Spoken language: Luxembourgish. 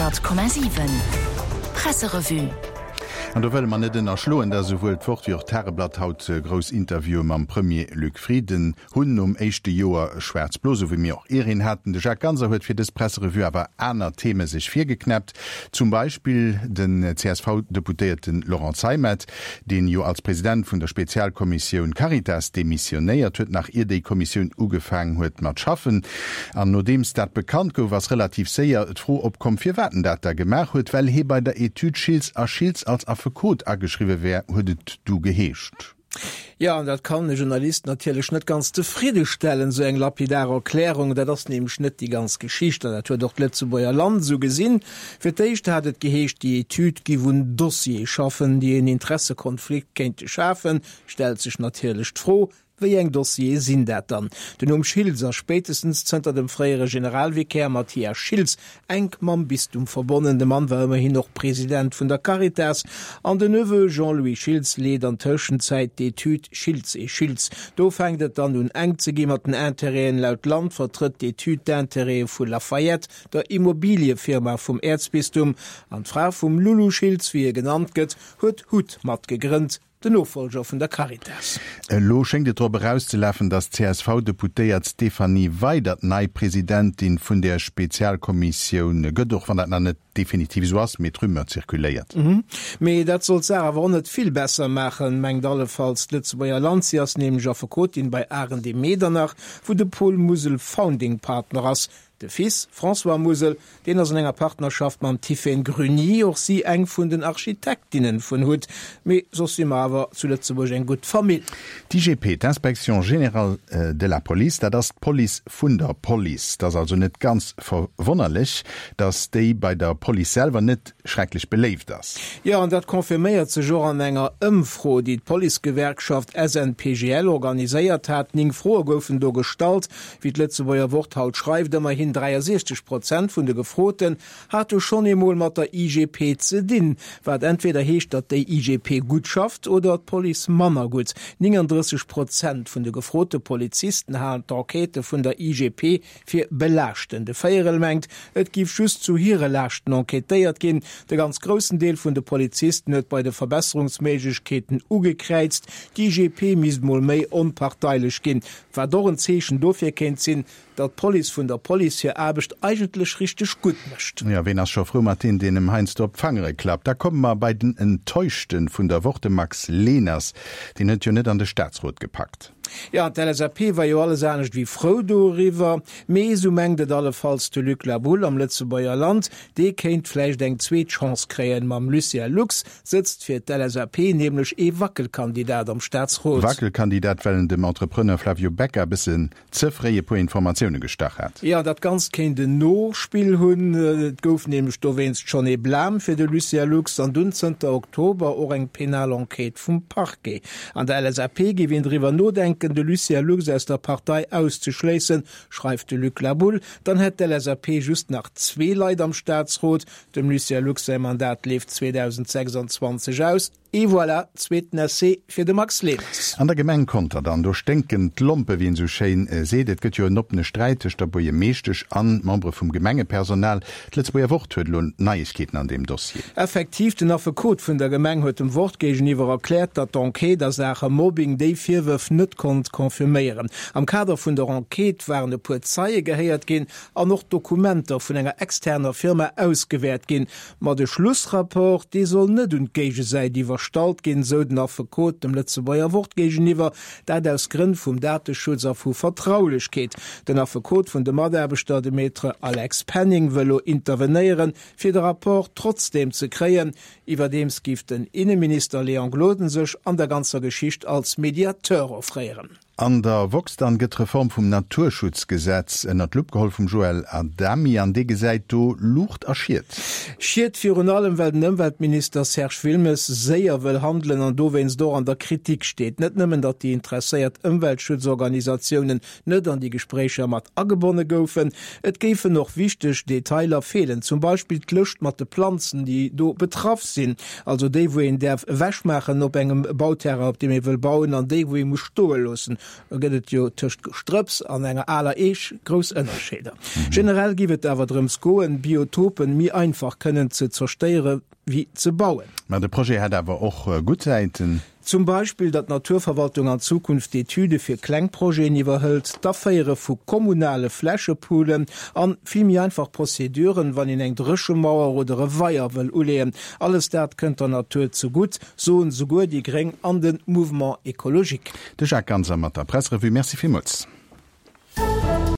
100,7 Presserevue. An do wëlle mer net ënnerschloen, datt esouwuel d'Wort wéi och d'Tageblatt haut grouss Interviewe mam Premier Luc Frieden hunn nom éischte Joer Schwaarz-Blo, esou wéi mir och ier een haten. De Jacques Ganser huet fir dës Presserevue awer aner Theme sech virgeknäppt, zum Beispill den CSV-Deputéierte Laurent Zeimet, deen jo als President vun der Spezialkommissioun Caritas demissionéiert huet, nach ier déi Kommissioun ugefaang huet mat schaffen. An nodeems dat bekannt gouf, ass relativ séier d'Fro opkomm, firwat en dat da gemaach huet. Well hee bei der Etüd Schiltz a Schiltz als Affekot ageschriwwe wär, huet et du geheescht. Jo, an dat kann e Journalist natierlech net ganz zefridde stellen, esou eng lapidar Erklärung. Dat ass nämlech net déi ganz Geschicht, an dat huet och d'Lëtzebuerger Land esou gesinn. Fir d'éischt hat et geheescht, déi Etüd giff un Dossiere schaffen, déi en Interessekonflikt kéinte schafen. Stellt sech natierlech d'Fro, Wéi eng Dossiere sinn dat dann? Den Numm Schiltz ass spéitestens zënter dem fréiere Generalvikär Mathias Schiltz enk mam Bistum verbonnen. De Mann war ëmmerhin och President vun der Caritas. An den Neveu Jean-Louis Schiltz leet an Tëschenzäit d'Etüd Schiltz et Schiltz. Do fänkt et dann un enk ze gi mat den Intérêten. Laut Land vertrëtt d'Etüd d'Intérêtë vu Lafayette, der Immobiliëfirma vum Äerzbistum. An d'Fra vum Loulou Schiltz, wéi e genannt gëtt, huet hut mat gegrënnt. Den Nofolger vun der Caritas. Elo schéngt et drop erauszelafen, datt d'CSV-Deputéiert Stéphanie Weydert nei Presidentin vun där Spezialkommissioun gëtt, och wann dat nach net definitiv esou ass, mee d'Rumeur zirkuléiert. Mee dat soll d'Saach awer och net vill besser maachen, mengt allefalls d'Lëtzebuerger Land. Si ass nämlech Affekotin bei Arendt et Medernach, wou de Paul Musel Founding Partner ass. De Fils, François Musel, deen ass an enger Partnerschaft mam Tiphaine Gruny, och si eng vun den Architektinnen vun hut. Mee soss si mer awer zu Lëtzebuerg eng gutt Famill. D'IGP, d'Inspection générale de la police, dat ass d'Police vun der Police. Et ass also net ganz verwonnerlech, datt déi bei der Police selwer net schrecklech beléift ass. Jo, an dat confirméiert sech och an enger Ëmfro, déi d'Policegewerkschaft SNPGL organiséiert hat. 9 Froe goufen do gestallt. Wéi d'Lëtzebuerger Wort haut schreift, ëmmerhin 63 Prozent vun de Gefroten hate schonn eemol mat der IGP ze dinn, wat entweder heescht, datt déi IGP gutt schafft oder d'Police manner gutt. 39 Prozent vun de gefrote Polizisten halen d'Enquêtë vun der IGP fir belaaschtend. E Véierel mengt, et giff just zu hire Laaschten enquêtéiert ginn. De ganz groussen Deel vun de Polizisten huet bei de Verbesserungsméiglechkeeten ugekräizt, d'IGP misst mol méi onparteilech ginn. Wat och en Zeechen dofir kéint sinn, datt d'Police vun der Police hir Aarbecht eigentlech richteg gutt mécht. Jo, ween ass scho frou mat deem, deen em heiansdo op d'Fangere klappt? Da komme mer bei den Enttäuschte vun der Woch, de Max Leners. Deen huet jo net an de Staatsrot gepackt. Jo, an d'LSAP war jo alles anescht wéi frou doriwwer. Mee, esou mengt et allefalls de Luc Laboulle am Lëtzebuerger Land, dee kéint vläicht eng zweet Chance kréien. Mam Lucien Lux sëtzt fir d'LSAP nämlech ee Wackelkandidat am Staatsrot. Wackelkandidat, well en dem Entrepreneur Flavio Becca e bëssen ze fréi e puer Informatioune gestach hat. Jo, dat Ganzt kéint en Nospill hunn. Et gouf nämlech dowéinst schonn ee Blam fir de Lucien Lux an dunn zënter Oktober och eng penal Enquête vum Parquet. An der LSAP géif een driwwer nodenken, de Lucien Lux aus der Partei auszeschléissen, schreift de Luc Laboulle. Dann hätt d'LSAP just nach zwee Leit am Staatsrot, Dem Lucien Lux säi Mandat leeft 2026 aus. Et voilà, zweeten Essai fir de Max Leners. An der Gemeng Conter dann, do sténken d'Lompe wéi een esou schéin seet. Et gëtt jo en oppene Sträit tëscht der Buergermeeschtesch an Membere vum Gemengepersonal. D'Lëtzebuerger Wort huet elo Neiegkeeten an deem Dossier. Effektiv, den Affekot vun der Gemeng huet dem Wort géigeniwwer erkläert, datt d'Enquête a Saache Mobbing déi Virwërf net konnt confirméieren. Am Kader vun der Enquête waren e puer Zeie gehéiert ginn an och d'Dokumenter vun enger externer Firma ausgewäert ginn. Ma de Schlussrapport, dee soll net un d'Géigesäit iwwerstallt ginn, sou den Affekot dem Lëtzebuerger Wort géigeniwwer, dat aus Grënn vum Dateschutz a vu Vertraulechkeet. Den Affekot vun de Mataarbechter, de Maître Alex Penning, wëll lo intervenéieren, fir de Rapport trotzdeem ze kréien. Iwwerdeems géif den Inneminister Léon Gloden sech an der ganzer Geschicht als Mediateur offréieren. An der woxx dann gëtt d'Reform vum Naturschutzgesetz ënnert d'Lupp geholl vum Joël Adami an dee gesäit do Luucht a Schied. Schied virun allem, well den Ëmweltminister Serge Wilmes séier wëll handelen an dowéinst och an der Kritik steet. Net nëmmen, datt déi interesséiert Ëmweltschutzorganisatiounen net an déi Gespréicher mat agebonne goufen, et géifen och wichteg Detailer feelen, zum Beispill d'Lëscht mat de Planzen, déi do betraff sinn, also déi wou een däerf ewechmaachen op engem Bauterrain, op deem ee wëll bauen, an déi wou ee muss stoe loossen. Da gëtt et jo tëscht Gestrëpps an enger aler Eech grouss Ënnerscheeder. Generell giff et awer drëms goen, Biotopen méi einfach kënnen ze zerstéiere wéi ze bauen. Mä de Projet hätt awer och gutt Säiten. Zum Beispill, datt d'Naturverwaltung an Zukunft d'Etüde fir kleng Projeten iwwerhëlt, d'Aféiere vu kommunale Flächepoolen an vill méi einfach Prozeduren, wann een eng Dréchemauer oder e Weier wëll uleeën. Alles dat kënnt der Natur zegutt, soen souguer déi Gréng an de Mouvement Ecologique. De Jacques Ganser mat der Presserevue. Merci villmools.